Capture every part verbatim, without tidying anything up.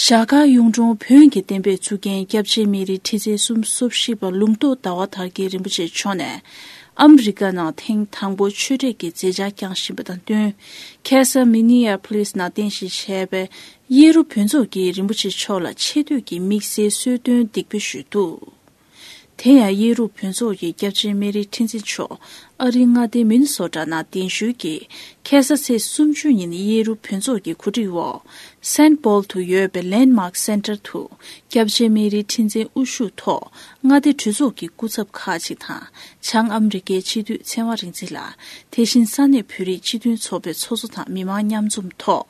ཞྭ་སྒར་གཡུང་དྲུང་བོན་གྱི་བསྟན་པའི་གཙུག་རྒྱན་སྐྱབས་རྗེ་སྨན་རིའི་ཁྲི་འཛིན་གསུམ་སོ་བཞི་པ་ལུང་རྟོགས་ཟླ་བ་དར་རྒྱས་རིན་པོ་ཆེ་མཆོག་ནས། ཨ་མི་རི་ཀ་ནང་ཐེངས་དང་པོ་ཆོས་འབྲེལ་གྱི་མཛད་འཆར་བསྐྱངས་བཞིན་པ་དང་བསྟུན། ཁ་སང་མི་ནི་ཨ་ཕོ་ལིས་ནང་རྟེན་གཞི་བྱས་པའི་གཡས་རུ་བོན་ཚོགས་ཀྱིས་རིན་པོ་ཆེ་མཆོག་ལ་ཆེ་བསྟོད་ཀྱི་དམིགས་བསལ་གསོལ་སྟོན་འདེགས་འབུལ་ཞུས་འདུག། དེ་ཡང་གཡས་རུ་བོན་ཚོགས་ཀྱི་སྐྱབས་རྗེ་སྨན་རིའི་ཁྲི་འཛིན་མཆོག་ཨ་རིའི་མངའ་སྡེ་མི་ནི་སོ་ཊ་ནང་གདན་ཞུས་ཀྱིས། ཁ་ས་ཚེས་སུམ་ཅུ་ཉིན་གཡས་རུ་བོན་ཚོགས་ཀྱི་གོ་སྒྲིག་འོག་སེན་པོལ་དུ་ཡོད་པའི་ལེན་མཱག་སེན་ཊར་དུ། སྐྱབས་རྗེ་སྨན་རིའི་ཁྲི་འཛིན་དབུ་བཞུགས་ཐོག་མངའ་སྡེ་གྲོས་ཚོགས་ཀྱི་སྐུ་ཚབ་ཁག་ཅིག་དང་། བྱང་ཨ་མི་རི་ཀའི་སྤྱི་འཐུས་ཚེ་དབང་རིག་འཛིན་ལགས། དེ་བཞིན་ས་གནས་བོད་རིགས་སྤྱི་མཐུན་ཚོགས་པའི་ཚོགས་གཙོ་དང་མི་མང་མཉམ་འཛོམས་ཐོག་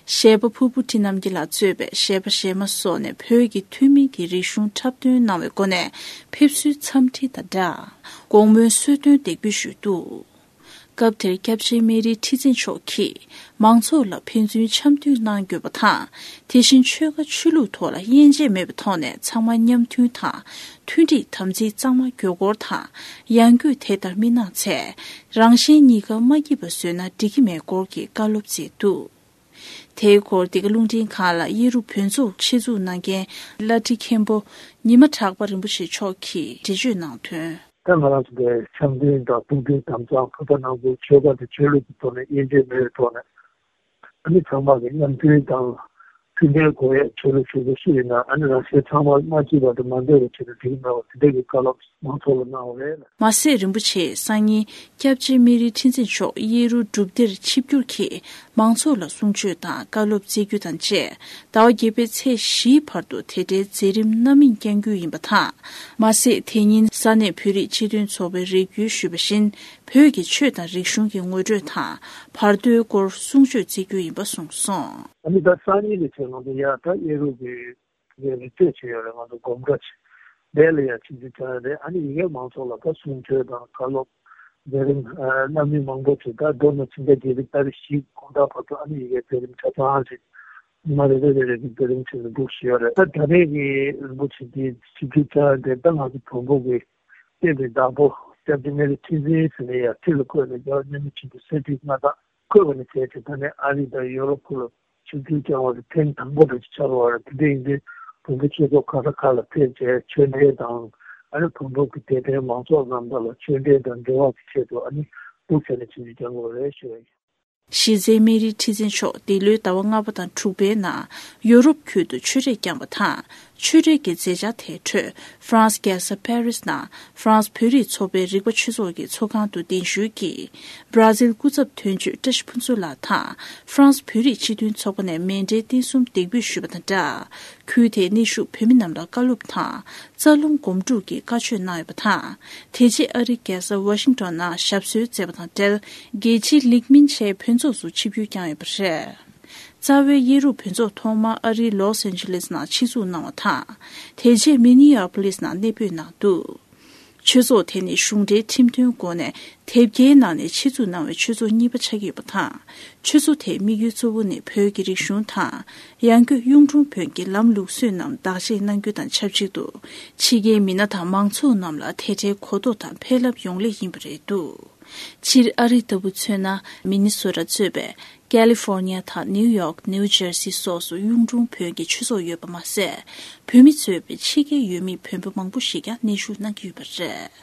གཞས་པ་ཕུར་བུ་ཁྲི་རྣམ་རྒྱལ་ལགས་གཙོས་པའི་གཞས་པ་གཞས་མ་སོགས་ནས་བོད་ཀྱི་ཐུན་མིན་གྱི་རིག་གཞུང་འཁྲབ་སྟོན་གནང་བའི་སྒོ་ནས་ཕེབས་བསུའི་འཚམས་འདྲི་དང་སྦྲགས། དགོང་མོའི་གསོལ་སྟོན་འདེགས་འབུལ་ཞུས་འདུག། སྐབས་དེར་སྐྱབས་རྗེ་སྨན་རིའི་ཁྲི་འཛིན་མཆོག་གིས་མང་ཚོགས་ལ་ཕན་ཚུན་འཆམ་མཐུན་གནང་དགོས་པ་དང་། དེ་བཞིན་ཆོལ་ཁ་ཆོས་ལུགས་ཐོག་ལ་དབྱེ་འབྱེད་མེད་པའི་ཐོག་ནས་ཚང་མ་མཉམ་མཐུན་དང་། མཐུན་སྒྲིལ་དམ་ཚིག་གཙང་མ་དགོས་སྐོར་དང་། ཡང་སྒོས་དེ་ལྟར་མི་གནང་ཚེ། རང་གཞན་གཉིས་ཀ་མ་སྐྱིད་པ་བཟོས་ན་འགྲིག་གི་མེད་སྐོར་གྱི་བཀའ་སློབ་སྩལ་འདུག། དེའི་སྐོར་འདི་ག་རླུང་འཕྲིན་ཁང་ལ་གཡས་རུ་བོན་ཚོགས་ཆེད་འཛུགས་གནང་མཁན་བླ་བྲེ་མཁན་པོ་ཉི་མ་གྲགས་པ་རིན་པོ་ཆེ་མཆོག་གིས་འགྲེལ་བརྗོད་གནང་དོན། ད་ང་རང་ཚོ་འདིར་འཆམ་མཐུན་དང་ཐུགས་མཐུན་དམ་གཙང་བོད་པ་ནང་ཁུལ་ཆོལ་ཁ་དང་ཆོས་ལུགས་ཀྱི་ཐོག་ནས་དབྱེ་འབྱེད་མེད་པའི་ཐོག་ནས་ཨ་ནི་ཚང་མ་གི་མཉམ་མཐུན་དང་མཐུན་སྒྲིལ་དགོས་ཡས་ཆོས་ལུགས་ཆོས་ཚོགས་ཤིག་ཡིན་ན་ཨ་ནི་རང་གཞན་ཚང་མ་མ་སྐྱིད་པ་དང་མ་འདོད་པ་བྱས་ན་འགྲིག་གི་མེད་པ་དེ་འདྲ་གི་བཀའ་སློབ་མང་ཚོགས་ལ་གནང་བ་རེད། མ་ཟད་རིན་པོ་ཆེས་སང་ཉིན་སྐྱབས་རྗེ་སྨན་རིའི་ཁྲི་འཛིན་མཆོག་གཡས་རུ་སྒྲུབ་སྡེར་ཆིབས་བསྒྱུར་གྱིས་མང་ཚོགས་ལ་གསུང་ཆོས་དང་བཀའ་སློབ་སྩལ་རྒྱུ་དང་བཅས། ཟླ་བ་བརྒྱད་པའི་ཚེས་བཞིའི་བར་དུ་དེ་འདྲའི་མཛད་རིམ་སྣ་མིན་བསྐྱང་རྒྱུ་ཡིན་པ་དང་། མ་ཟད་དེ་ཉིན་ས་གནས་བོད་རིགས་སྤྱི་མཐུན་ཚོགས་པའི་རེ་སྐུལ་ཞུས་པ་བཞིན། བོད་ཀྱི་ཆོས་དང་རིག་གཞུང་གི་ངོ་སྤྲོད་དང་བར་དོའི་སྐོར་གསུང་ཆོས་སྩལ་རྒྱུ་ཡིན་པ་གསུངས་སོང་། ཨ་ནི་ད་སང་ཉིན་ནས་བྱས་ང་ཚོ་ཡར་ད་གཡས་རུ་གི་རི་རྩེ་ཆེ་ཡོད་རེད། ང་ཚོ་སྒོམ་གྲྭ་ཆེ་དེ་ལ་ཡར་ཆིབས་བསྒྱུར་བཅར་ཡ་རེད། ཨ་ནི་ཡི་གེ་མང་ཚོགས་ལ་ད་གསུང་ཆོས་དང་བཀའ་སློབ་མཛད་རིམ་སྣ་མིན་མང་པོ་ཅིག་ད་མདོར་ན་ཕྱི་ཟླ་བརྒྱད་པའི་ཏ་རིག་བཞི་དགོང་དག་བར་དུ་ཨ་ནི་ཡི་གེ་མཛད་རིམ་ཆ་ཚང་ཞིག་ཉི་མ་རེ་རེ་རེ་རེ་གི་མཛད་རིམ་བྱས་ནས་འདུག་ཞུ་ཡ་རེད། ད་ད་རེས་ཀྱི་རིན་པོ་ཆེ་འདི་ཆིབས་བསྒྱུར་བཅར་ཡ་དེ་ད་ང་ཚོ་བོན་པོ་གི་བསྟན་པའི་བདག་པོ་སྐྱབས་རྗེ་སྨན་རི་ཁྲི་འཛིན་ཟེར་ནས་ཡར་ཁྲི་ལ་བསྐོས་ནས་རྒྱལ་བ་མཉམ་མེད་ཆེན་པོའི་སྲས་བཅུ་ང་དང་བསྐོས་པ་ནས་བྱས་ཏེ་ད་ནས་ཨ་རི་དང་ཡོ་རོབ་ཁུལ་ལ་ཆིབས་བསྒྱུར་བསྐྱངས་པ་དེ་ཐེངས་དང་པོ་དེ་ཆགས་པ་རེད། དེ་འདྲ་ཡིན་དུས་བོན་པོ་ཆོས་ཚོགས་ག་ས་ག་ལ་ཕེབས་བྱས་ཆོས་འབྲེལ་དང་ཨ་ནི་བོན་པོ་གི་དད་ལྡན་མང་ཚོགས་རྣམས་དག་ལ་ཆོས་འབྲེལ་དང་འབྲེལ་བ་གི་ཆེད་དུ་ཨ་ནི་སྡུག་ཆེ་ནས་ཆིབས་བསྒྱུར་བསྐྱངས་པ་རེད་ཞུ་བ་ཡིན། གཞི་རྩའི་སྨན་རིའི་ཁྲི་འཛིན་མཆོག་འདི་ལོའི་ཟླ་བ་ལྔ་པ་དང་དྲུག་པའི་ནང་ཡོ་རོབ་ཁུལ་དུ་ཆོས་རེས་བསྐྱངས་པ་དང་། ཆོས་འབྲེལ་གྱི་མཛད་འཆར་དེའི་ཁྲོད་ཧྥ་རན་སི་རྒྱལ་ས་ཕ་རི་སི་ནང་ཧྥ་རན་སི་བོད་རིགས་ཚོགས་པའི་རིག་པ་ཆོས་ཚོགས་ཀྱི་ཚོགས་ཁང་དུ་གདན་ཞུས་ཀྱིས། བར་ཛིལ་སྐུ་ཚབ་དོན་གཅོད་བཀྲ་ཤིས་ཕུན་ཚོགས་ལགས་དང་ཧྥ་རན་སི་བོད་རིགས་སྤྱི་མཐུན་ཚོགས་པ་ནས་མཎྜལ་རྟེན་གསུམ་འདེགས་འབུལ་ཞུས་པ་དང་སྦྲགས། ཁུལ་དེའི་གནས་བཞུགས་བོད་མི་རྣམས་ལ་བཀའ་སློབ་དང་། རྩ་རླུང་སྒོམ་སྒྲུབ་ཀྱི་བཀའ་ཆོས་གནང་ཡོད་པ་དང་། དེ་རྗེས་ཨ་རིའི་རྒྱལ་ས་ཝ་ཤིང་ཏོན་ནང་ཞབས་སོར་བསྩལ་བ་དང་འབྲེལ། རྒྱལ་སྤྱིའི་ལིག་མིན་ཆེའི་བོན་ཚོགས་སུ་ཆིབས་བསྒྱུར་བསྐྱངས་ཡོད་པ་རེད། རྩ་བའི་གཡས་རུ་བོན་ཚོགས་ཐོག་མར་ཨ་རིའི་ལོས་ཨན་ཇི་ལེས་ནང་ཆེད་འཛུགས་གནང་བ་དང་། དེ་རྗེས་མི་ནི་ཡ་པོ་ལིས་ནང་གནས་སྤོས་གནང་འདུག། ཆོས་ཚོགས་དེ་ནི་གཞུང་འབྲེལ་ཁྲིམས་མཐུན་སྒོ་ནས་དེབ་སྐྱེལ་གནང་ནས་ཆེད་འཛུགས་གནང་བའི་ཆོས་ཚོགས་གཉིས་པ་ཆགས་ཀྱི་ཡོད་པ་དང་། ཆོས་ཚོགས་དེའི་དམིགས་ཡུལ་གཙོ་བོ་ནི་བོད་ཀྱི་རིག་གཞུང་དང་། ཡང་སྒོས་གཡུང་དྲུང་བོན་གྱི་ལམ་ལུགས་སྲོལ་རྣམས་བདག་གཅེས་གནང་རྒྱུ་དང་ཆབས་ཅིག་ཏུ། ཕྱི་རྒྱལ་མི་སྣ་དང་མང་ཚོགས་རྣམས་ལ་དེ་འདྲའི་གོ་རྟོགས་དང་ཕན་རླབས་ཡོང་སླད་ཡིན་པ་རེད་འདུག། སྤྱིར་ཨ་རི་ལྟ་བུ་མཚོན་ན། མི་ནི་སོ་ཊ་གཙོས་པའི་ཀ་ལི་ཧྥོར་ནི་ཡ་དང་ནིའུ་ཡོག་ནིའུ་ཇར་སི་སོགས་སུ་གཡུང་དྲུང་བོན་གྱི་ཆོས་ཚོགས་ཡོད་པ་མ་ཟད། བོད་མི་གཙོས་པའི་ཕྱི་རྒྱལ་ཡུལ་མི་བོན་པོ་མང་པོ་ཞིག་ཀྱང་གནས་བཞུགས་གནང་གི་ཡོད་པ་རེད།